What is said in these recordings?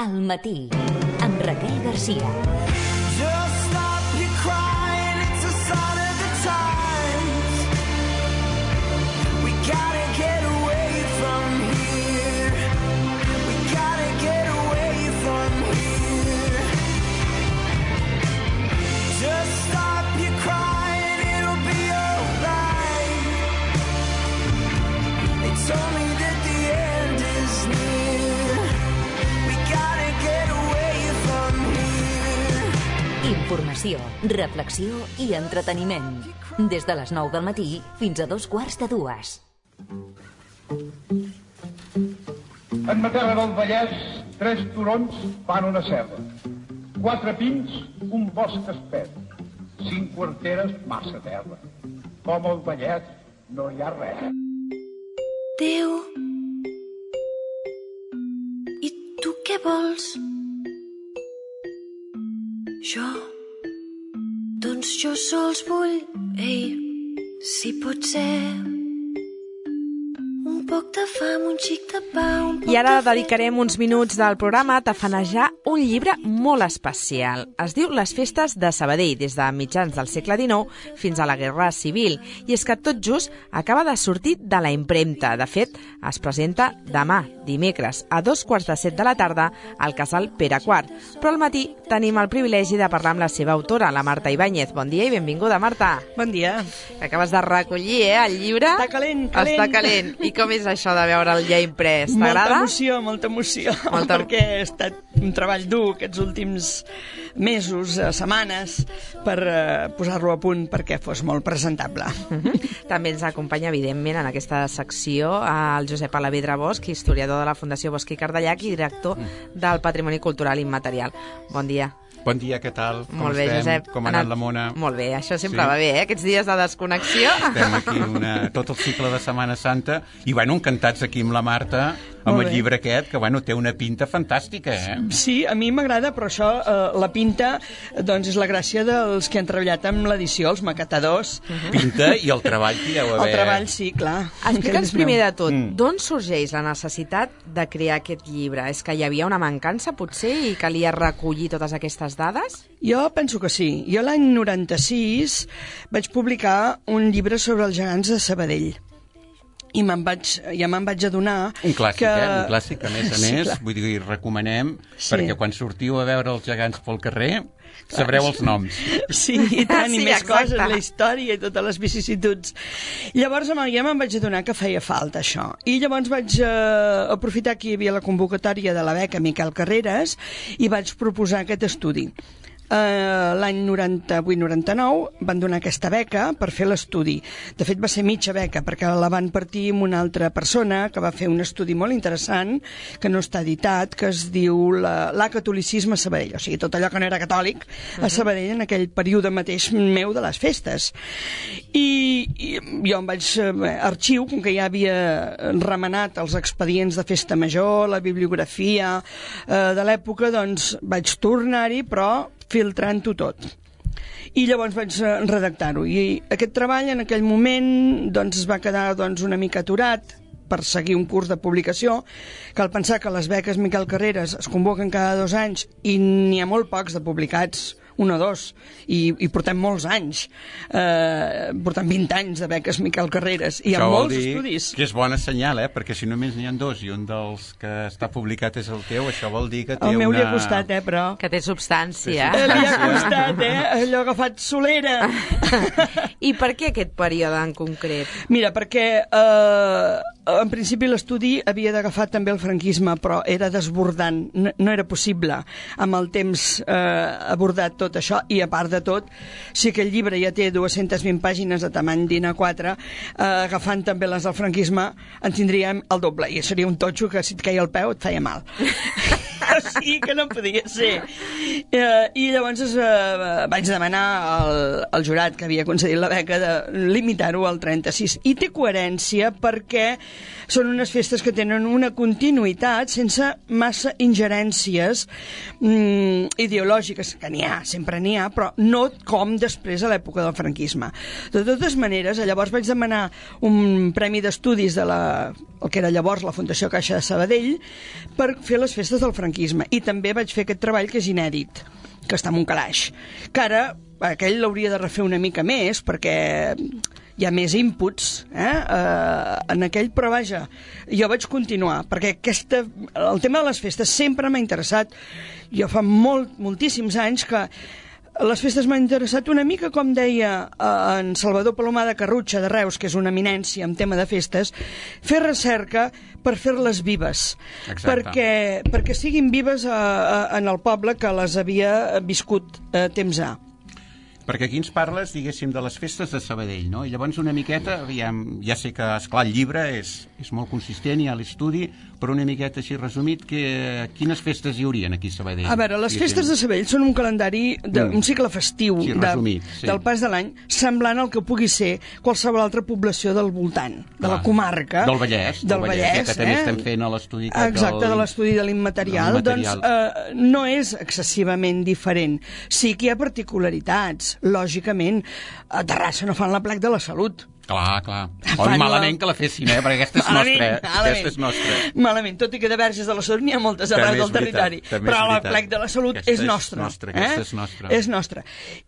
Al matí, amb Raquel Garcia. Just stop your crying, it's a sign of the times. We gotta get away from here. We gotta get away from here. Just stop your crying, it'll be alright. They told me that the end is near. We gotta get away from here. Informació, reflexió i entreteniment. Des de les 9 del matí fins a 2:15. En Matera del Vallès, 3 turons fan una serra. 4 pins, un bosc espès. 5 quarteres, massa terra. Com al Vallès no hi ha res. Déu, i tu què vols? Jo? Doncs jo sols vull, si pot ser, un poc de fam, un xic de pa, un poc I ara de fred. dedicarem uns minuts del programa a tafanejar un llibre molt especial. Es diu Les festes de Sabadell, des de mitjans del segle XIX fins a la Guerra Civil. I és que tot just acaba de sortir de la impremta. De fet, es presenta demà, dimecres, a 2:15 de la tarda, al Casal Pere IV. Però al matí tenim el privilegi de parlar amb la seva autora, la Marta Ibáñez. Bon dia i benvinguda, Marta. Bon dia. Acabes de recollir, el llibre? Està calent, calent. Està calent. I com és això de veure'l ja imprès? T'agrada? Molta emoció. Perquè ha estat un treball dur aquests últims mesos, setmanes, per posar-lo a punt perquè fos molt presentable. També ens acompanya, evidentment, en aquesta secció el Josep Alavedra Bosch, historiador de la Fundació Bosch i Cardellac i director del Patrimoni Cultural Immaterial. Bon dia. Bon dia, què tal? Molt bé, Josep. Com ha anat la mona? Molt bé, això sempre va bé, Aquests dies de desconnexió. Estem aquí tot el cicle de Setmana Santa i, encantats aquí amb la Marta, amb el llibre aquest, que, té una pinta fantàstica, Sí, a mi m'agrada, però això, la pinta, doncs és la gràcia dels que han treballat amb l'edició, els maquetadors. Pinta i el treball que hi deu haver. El treball, sí, clar. Explica'ns primer de tot, d'on sorgeix la necessitat de crear aquest llibre? És que hi havia una mancança, potser, i calia recollir totes aquestes dades? Jo penso que sí. Jo l'any 96 vaig publicar un llibre sobre els gegants de Sabadell. I me'n vaig adonar un clàssic, que... Un clàssic, a més, clar. vull dir, recomanem, perquè quan sortiu a veure els gegants pel carrer, sabreu els noms. Sí, i tant, Sí, i més exacte. coses, la història i totes les vicissituds. Llavors, ja me'n vaig adonar que feia falta, això. I llavors vaig aprofitar que hi havia la convocatòria de la beca Miquel Carreras i vaig proposar aquest estudi. L'any 98-99 van donar aquesta beca per fer l'estudi. De fet, va ser mitja beca, perquè la van partir amb una altra persona que va fer un estudi molt interessant, que no està editat, que es diu l'Acatolicisme a Sabadell, o sigui, tot allò que no era catòlic a Sabadell en aquell període mateix meu de les festes. I jo em vaig arxiu, com que ja havia remenat els expedients de festa major, la bibliografia de l'època, doncs vaig tornar-hi, però filtrant-ho tot. I llavors vaig redactar-ho. I aquest treball en aquell moment doncs, es va quedar una mica aturat per seguir un curs de publicació. Cal pensar que les beques Miquel Carreras es convoquen cada 2 anys i n'hi ha molt pocs de publicats, 1 o 2, i portem molts anys. Portem 20 anys de beques Miquel Carreras i hi ha molts estudis. Que és bona senyal, perquè si només n'hi ha 2 i un dels que està publicat és el teu, això vol dir que té el meu li ha costat, però... Que té substància. Li ha costat, allò agafat solera. I per què aquest període en concret? Mira, perquè en principi l'estudi havia d'agafar també el franquisme, però era desbordant, no era possible amb el temps abordar tot això, i a part de tot, si aquell llibre ja té 220 pàgines de tamany d'A4, agafant també les del franquisme, en tindríem el doble, i seria un totxo que si et caia el peu et feia mal. O sigui que no podia ser. I llavors vaig demanar al jurat que havia concedit la beca de limitar-ho al 36. I té coherència perquè són unes festes que tenen una continuïtat sense massa ingerències ideològiques, que n'hi ha, sempre n'hi ha, però no com després a l'època del franquisme. De totes maneres, llavors vaig demanar un premi d'estudis de el que era llavors la Fundació Caixa de Sabadell per fer les festes del franquisme. I també vaig fer aquest treball que és inèdit, que està en un calaix, que ara aquell l'hauria de refer una mica més perquè hi ha més inputs en aquell, però vaja, jo vaig continuar perquè el tema de les festes sempre m'ha interessat. Jo fa moltíssims anys que les festes m'han interessat una mica, com deia en Salvador Palomar de Carrutxa de Reus, que és una eminència en tema de festes, fer recerca per fer-les vives, perquè siguin vives en el poble que les havia viscut temps A. Perquè aquí ens parles, diguéssim, de les festes de Sabadell, no? I llavors una miqueta, ja sé que, esclar, el llibre és molt consistent, hi ha l'estudi, però una miqueta així resumit, quines festes hi haurien aquí a Sabadell? A veure, les festes de Sabadell són un calendari, un cicle festiu del pas de l'any, semblant al que pugui ser qualsevol altra població del voltant, de la comarca. Del Vallès, que també estem fent a l'estudi. Exacte, de l'estudi de l'immaterial. Doncs no és excessivament diferent. Sí que hi ha particularitats. Lògicament, a Terrassa no fan l'aplec de la Salut. Clar. Malament que la fessin, perquè aquesta és nostra. Malament, tot i que de verges de la Salut n'hi ha moltes arreu del territori. Però l'aplec de la Salut és nostre. És nostra.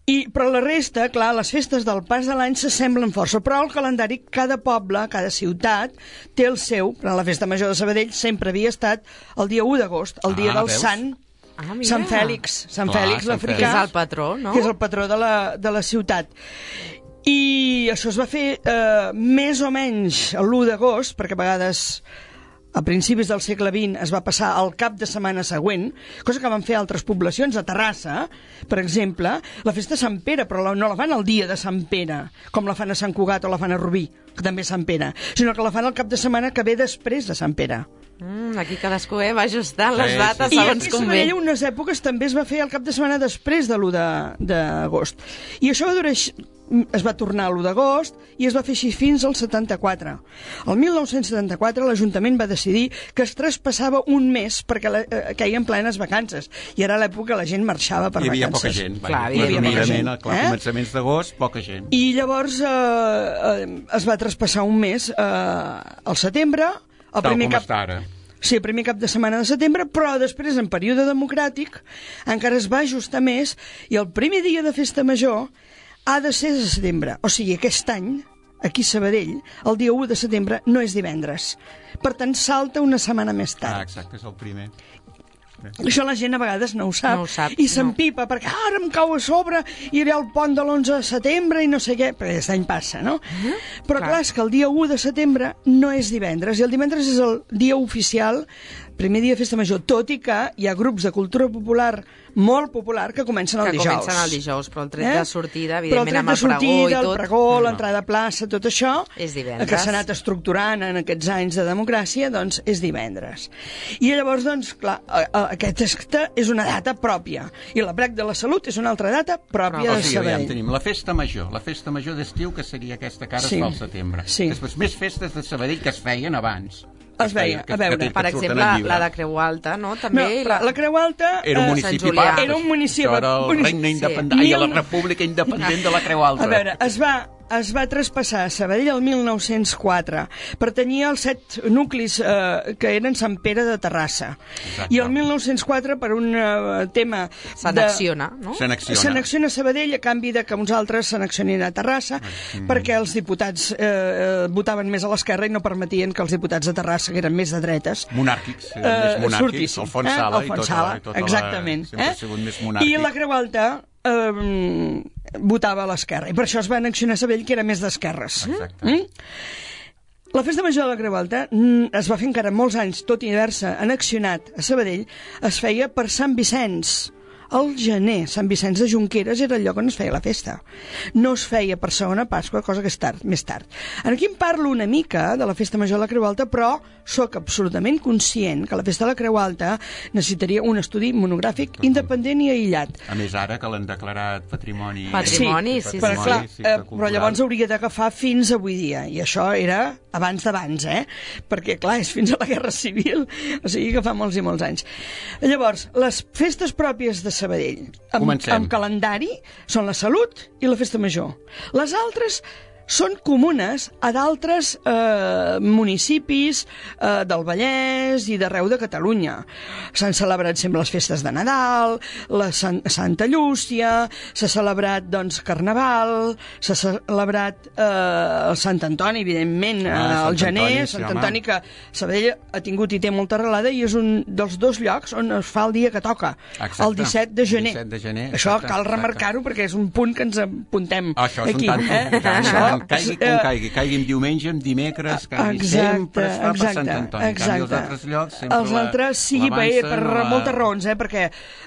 Però la resta, clar, les festes del pas de l'any s'assemblen força, però el calendari, cada poble, cada ciutat, té el seu. Però la festa major de Sabadell sempre havia estat el dia 1 d'agost, el dia del Sant Sant Fèlix l'africà, que és el patró, no? Que és el patró de la ciutat. I això es va fer més o menys l'1 d'agost, perquè a vegades a principis del segle XX es va passar al cap de setmana següent, cosa que van fer altres poblacions. A Terrassa, per exemple, la festa de Sant Pere, però no la fan el dia de Sant Pere, com la fan a Sant Cugat o la fan a Rubí, que també és Sant Pere, sinó que la fan el cap de setmana que ve després de Sant Pere. Aquí cadascú va ajustant les dates segons com ve. I aquí a unes èpoques també es va fer el cap de setmana després de l'1 d'agost. I això es va tornar a l'1 d'agost i es va fer així fins al 74. El 1974 l'Ajuntament va decidir que es traspassava un mes perquè queien plenes vacances. I era l'època que la gent marxava per vacances. Hi havia poca gent. Presumidament, a començaments d'agost, poca gent. I llavors es va traspassar un mes al setembre, el primer cap de setmana de setembre, però després, en període democràtic, encara es va ajustar més i el primer dia de festa major ha de ser de setembre. O sigui, aquest any, aquí a Sabadell, el dia 1 de setembre no és divendres. Per tant, salta una setmana més tard. Exacte, és el primer. Això la gent a vegades no ho sap i s'empipa perquè ara em cau a sobre i hi ha el pont de l'11 de setembre i no sé què, perquè aquest any passa, no? Però clar, és que el dia 1 de setembre no és divendres i el divendres és el dia oficial, primer dia de festa major, tot i que hi ha grups de cultura popular molt popular que comencen el dijous. Que comencen el dijous, però el tret de sortida, evidentment, amb el pregó i tot. El pregó, l'entrada a plaça, tot això, és divendres. Que s'ha anat estructurant en aquests anys de democràcia, doncs és divendres. I llavors, doncs, clar, aquesta és una data pròpia. I l'aplec de la Salut és una altra data pròpia de Sabadell. Tenim la festa major d'estiu, que seria aquesta que ara es fa al setembre. Després, més festes de Sabadell que es feien abans. Es veia, a veure. Per exemple, la de Creu Alta, no? També la Creu Alta era un municipi part. Era un municipi. Això era el regne independent, la república independent de la Creu Alta. A veure, es va traspassar a Sabadell el 1904. Pertanyia als 7 nuclis que eren Sant Pere de Terrassa. Exacte. I el 1904, per un tema... S'annexiona, no? S'annexiona a Sabadell a canvi de que uns altres s'annexionin a Terrassa, perquè els diputats votaven més a l'esquerra i no permetien que els diputats de Terrassa, que eren més de dretes... Monàrquics, més monàrquics. Alfons Sala i tota exactament. Sempre ha sigut més monàrquic. I la Creu Alta votava a l'esquerra, i per això es va annexionar a Sabadell, que era més d'esquerres. La festa major de la Creu Alta es va fer encara molts anys, tot i haver-se annexionat a Sabadell, es feia per Sant Vicenç. Al gener, Sant Vicenç de Junqueres era el lloc on es feia la festa. No es feia per segona Pasqua, cosa que és més tard. Aquí em parlo una mica de la festa major de la Creu Alta, però sóc absolutament conscient que la festa de la Creu Alta necessitaria un estudi monogràfic independent i aïllat. A més, ara que l'han declarat patrimoni... Sí. Però llavors hauria d'agafar fins avui dia, i això era abans d'abans, perquè clar, és fins a la Guerra Civil, o sigui que fa molts i molts anys. Llavors, les festes pròpies de Sabadell, amb calendari, són la Salut i la Festa Major. Les altres són comunes a d'altres municipis del Vallès i d'arreu de Catalunya. S'han celebrat sempre les festes de Nadal, la Santa Llúcia, s'ha celebrat, doncs, Carnaval, s'ha celebrat el Sant Antoni, evidentment, al gener, Sant Antoni, que Sabadell ha tingut i té molta arrelada i és un dels dos llocs on es fa el dia que toca, el 17 de gener. Això cal remarcar-ho perquè és un punt que ens apuntem aquí. Caigui com caigui, caigui en diumenge, en dimecres, sempre es fa per Sant Antoni. En canvi, els altres llocs sempre els altres sí, per moltes raons, perquè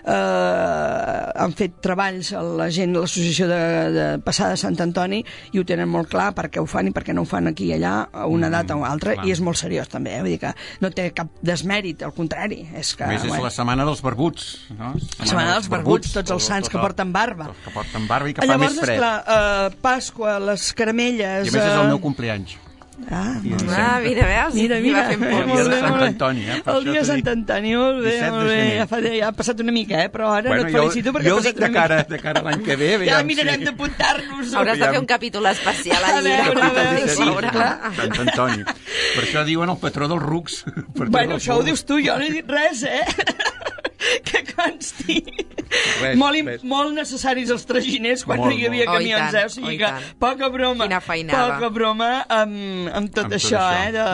han fet treballs la gent, l'associació de passada de Sant Antoni, i ho tenen molt clar per què ho fan i per què no ho fan aquí i allà a una data o altra, i és molt seriós també, vull dir que no té cap desmèrit, al contrari. És que, a més, és la setmana dels barbuts, no? La setmana dels barbuts, tots els sants que porten barba. Que porten barba i que fa més fred. Llavors, esclar, Pasqua, les caramelles... I a més és el meu compleanys. Mira, veus? Mira. El dia de Sant Antoni, El dia de Sant Antoni, molt bé, molt bé. Ja ha passat una mica, però ara no et felicito perquè ha passat una mica. De cara a l'any que ve... Ja mirarem d'apuntar-nos. Hauràs de fer un capítol especial al llibre. Sant Antoni. Per això diuen el patró dels rucs. Bueno, això ho dius tu, jo no he dit res, que consti. Molt necessaris els traginers quan no hi havia camions, o sigui que poca broma amb tot això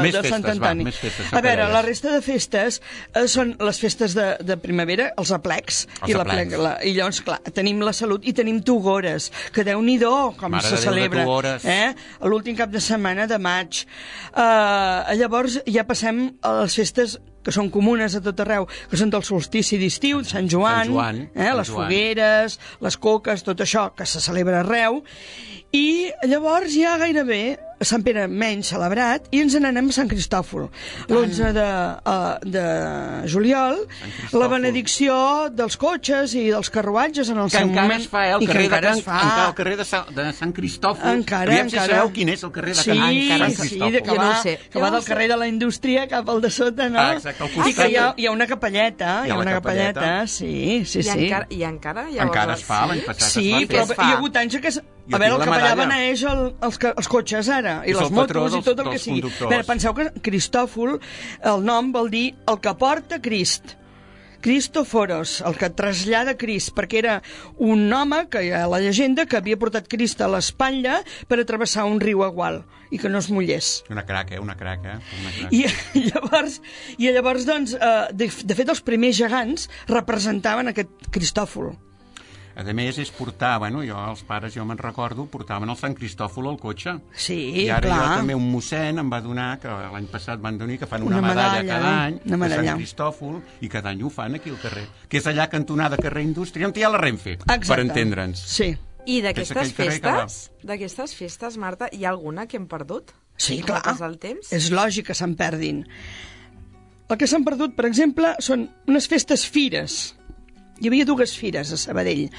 de Sant Antoni. A veure, la resta de festes són les festes de primavera, els aplecs, i llavors, clar, tenim la Salut i tenim Togores, que Déu-n'hi-do com se celebra l'últim cap de setmana de maig. Llavors ja passem a les festes que són comunes a tot arreu, que són del solstici d'estiu, Sant Joan, les fogueres, les coques, tot això que se celebra arreu, i llavors ja gairebé Sant Pere menys celebrat i ens n'anem a Sant Cristòfol. L'11 de juliol, la benedicció dels cotxes i dels carruatges en el seu moment. Que encara es fa, el carrer de Sant Cristòfol. Aviam si sabeu quin és el carrer de Sant Cristòfol. Sí, que va del carrer de la Indústria cap al de sota, no? Exacte, i que hi ha una capelleta, sí. I encara es fa, l'any passat sí, però hi ha hagut anys que... A veure, el capellà beneeix els cotxes ara, i les motos i tot el que sigui. Penseu que Cristòfol, el nom vol dir el que porta Crist. Cristoforos, el que trasllada Crist, perquè era un home, que hi ha la llegenda, que havia portat Crist a l'espatlla per atrevessar un riu igual i que no es mullés. Una craca. I llavors, doncs, de fet, els primers gegants representaven aquest Cristòfol. A més, és portar, jo, els pares, jo me'n recordo, portaven el Sant Cristòfol al cotxe. Sí, i ara jo també un mossèn em va donar, que l'any passat van donar, que fan una medalla cada any, de Sant Cristòfol, i cada any ho fan aquí al carrer. Que és allà cantonada carrer Indústria, on hi ha la Renfe, per entendre'ns. Sí. I d'aquestes festes, Marta, hi ha alguna que hem perdut? Sí, clar. És lògic que se'n perdin. El que s'han perdut, per exemple, són unes festes fires. Hi havia dues fires a Sabadell.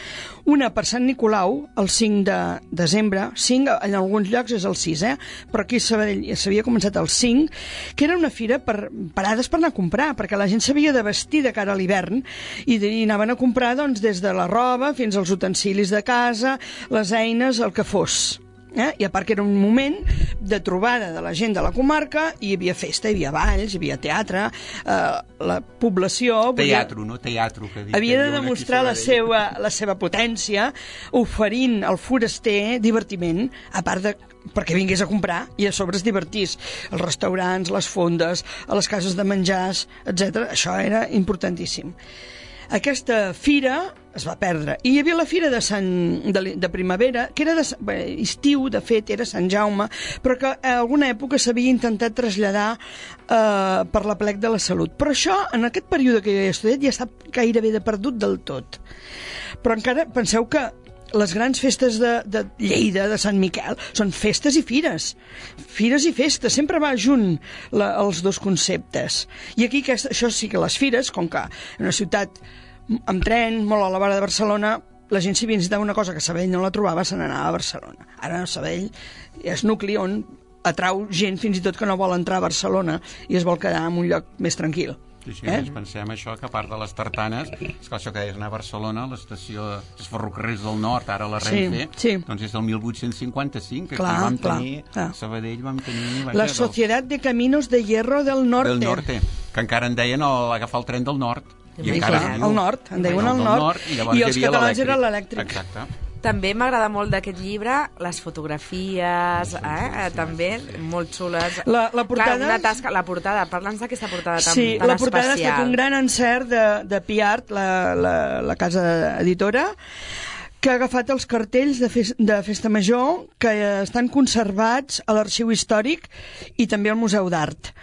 Una per Sant Nicolau, el 5 de desembre, 5 en alguns llocs és el 6, però aquí a Sabadell s'havia començat el 5, que era una fira per parades per anar a comprar, perquè la gent s'havia de vestir de cara a l'hivern i anaven a comprar doncs, des de la roba fins als utensilis de casa, les eines, el que fos. I a part que era un moment de trobada de la gent de la comarca, hi havia festa, hi havia balls, hi havia teatre, la població... Teatro, que dic. Havia de demostrar la seva potència, oferint al foraster divertiment, a part de perquè vingués a comprar i a sobre es divertís. Els restaurants, les fondes, a les cases de menjars, etc. Això era importantíssim. Aquesta fira es va perdre. I hi havia la fira de primavera, que era estiu, de fet, era Sant Jaume, però que a alguna època s'havia intentat traslladar per l'Aplec de la Salut. Però això, en aquest període que jo he estudiat, ja està gairebé perdut del tot. Però encara penseu que les grans festes de Lleida, de Sant Miquel, són festes i fires. Fires i festes, sempre va junt els dos conceptes. I aquí, això sí que les fires, com que en una ciutat amb tren, molt a la vora de Barcelona, la gent si visitava una cosa que a Sabadell no la trobava, se n'anava a Barcelona. Ara a Sabadell és nucli on atrau gent fins i tot que no vol entrar a Barcelona i es vol quedar en un lloc més tranquil. Sí, ens pensem això, que a part de les tartanes, esclar, això que deies, anar a Barcelona, l'estació dels ferrocarrils del nord, ara la Renfe, doncs és del 1855, que aquí vam tenir, a Sabadell vam tenir... La Societat de Caminos de Hierro del Norte. Del Norte, que encara en deien agafar el tren del nord. I encara al nord, en deien al nord, i els catalans era l'elèctric. Exacte. També m'agrada molt d'aquest llibre les fotografies, també molt xules. La portada... Clar, una tasca, la portada, parla'ns d'aquesta portada tan especial. Sí, la portada ha estat un gran encert de Piart, la casa editora, que ha agafat els cartells de Festa Major que estan conservats a l'Arxiu Històric i també al Museu d'Art.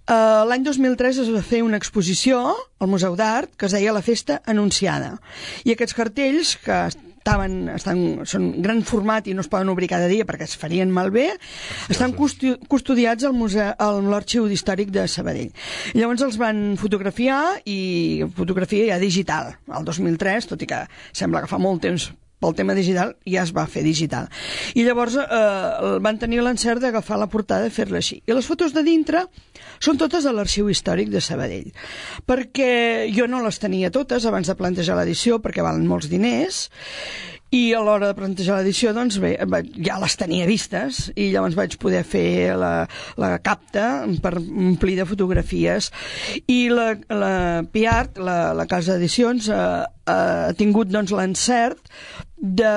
L'any 2003 es va fer una exposició al Museu d'Art que es deia La Festa Anunciada. I aquests cartells, que són gran format i no es poden obrir cada dia perquè es farien malbé, estan custodiats a l'Arxiu Històric de Sabadell. Llavors els van fotografiar, i fotografia ja digital, el 2003, tot i que sembla que fa molt temps pel tema digital, ja es va fer digital. I llavors van tenir l'encert d'agafar la portada i fer-la així. I les fotos de dintre són totes a l'Arxiu Històric de Sabadell, perquè jo no les tenia totes abans de plantejar l'edició, perquè valen molts diners, i a l'hora de plantejar l'edició, doncs bé, ja les tenia vistes, i llavors vaig poder fer la capta per omplir de fotografies. I la Piart, la casa d'edicions, ha tingut doncs l'encert de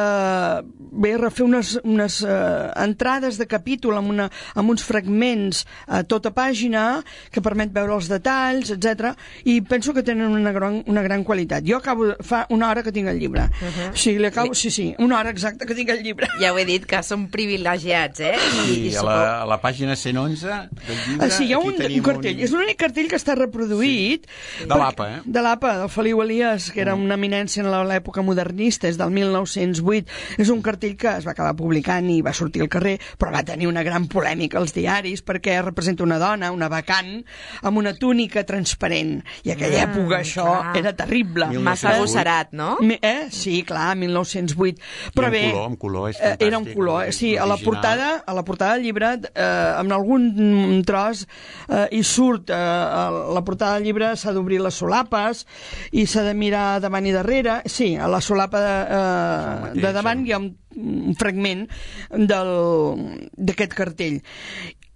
refer unes entrades de capítol amb uns fragments a tota pàgina que permet veure els detalls, etc. I penso que tenen una gran qualitat. Jo fa una hora que tinc el llibre. O sigui, sí, una hora exacta que tinc el llibre. Ja ho he dit, que som privilegiats, I a la pàgina 111 del llibre... Sí, hi ha un cartell. És l'únic cartell que està reproduït. De l'APA, De l'APA, del Feliu Elias, que era una eminència en l'època modernista, és del 1908. És un cartell que es va acabar publicant i va sortir al carrer, però va tenir una gran polèmica als diaris perquè representa una dona, una bacant, amb una túnica transparent. I a aquella època això era terrible. Massa agosserat, no? Sí, clar, 1908. Però bé, amb color, és fantàstic. Era un color, sí. A la portada del llibre, amb algun tros, hi surt, la portada del llibre s'ha d'obrir les solapes i s'ha de mirar davant i darrere. Sí, a la solapa de davant hi ha un fragment d'aquest cartell.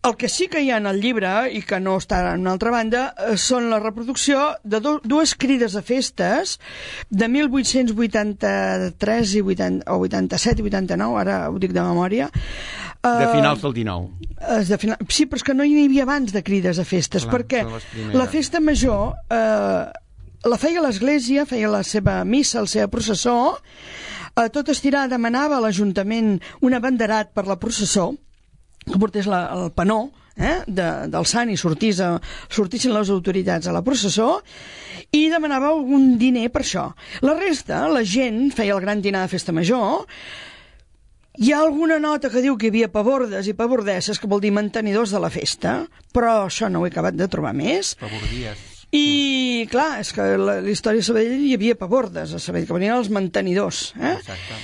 El que sí que hi ha en el llibre, i que no està en una altra banda, són la reproducció de dues crides a festes de 1883 o 87 i 89, ara ho dic de memòria. De finals del 19. Sí, però és que no hi havia abans de crides a festes, perquè la festa major la feia l'església, feia la seva missa, la seva processó, tot estirar demanava a l'Ajuntament un abanderat per la processó, que portés el panó del sant i sortissin les autoritats a la processó, i demanava algun diner per això. La resta, la gent feia el gran dinar de festa major. Hi ha alguna nota que diu que hi havia pavordes i pavordesses, que vol dir mantenidors de la festa, però això no ho he acabat de trobar més. Pavordies. I, clar, és que la història de Sabadell hi havia pavordes a Sabadell, que venien els mantenidors. Exacte.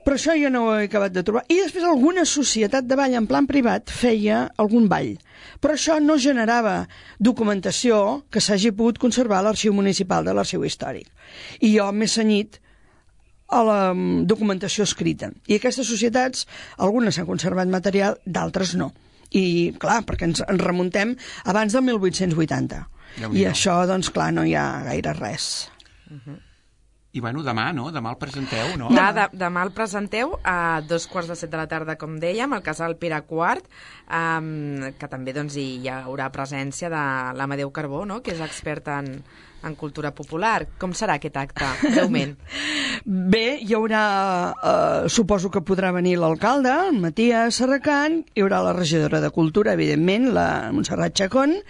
Però això jo no ho he acabat de trobar. I després alguna societat de ball en plan privat feia algun ball. Però això no generava documentació que s'hagi pogut conservar a l'Arxiu Municipal de l'Arxiu Històric. I jo m'he cenyit a la documentació escrita. I aquestes societats, algunes s'han conservat material, d'altres no. I, clar, perquè ens remuntem abans del 1880. I això, doncs, clar, no hi ha gaire res. I, bueno, demà, no? Demà el presenteu, no? Demà el presenteu a 2:15 de la tarda, com dèiem, al Casal Pere IV, que també doncs, hi haurà presència de l'Amadeu Carbó, no?, que és expert en cultura popular. Com serà aquest acte, breument? Bé, hi haurà, suposo que podrà venir l'alcalde, en Matías Serracant, hi haurà la regidora de Cultura, evidentment, la Montserrat Chacón,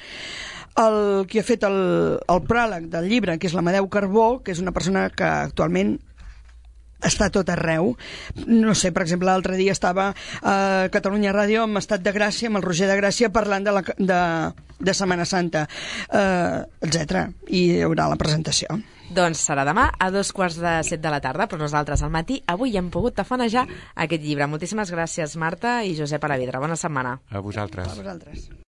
el que ha fet el pròleg del llibre, que és l'Amadeu Carbó, que és una persona que actualment està tot arreu. No sé, per exemple, l'altre dia estava a Catalunya Ràdio amb Estat de Gràcia, amb el Roger de Gràcia, parlant de Setmana Santa, etc. I hi haurà la presentació. Doncs serà demà a 2:15 de la tarda, però nosaltres al matí avui hem pogut tafanejar aquest llibre. Moltíssimes gràcies, Marta i Josep Alavedra. Bona setmana. A vosaltres. A vosaltres.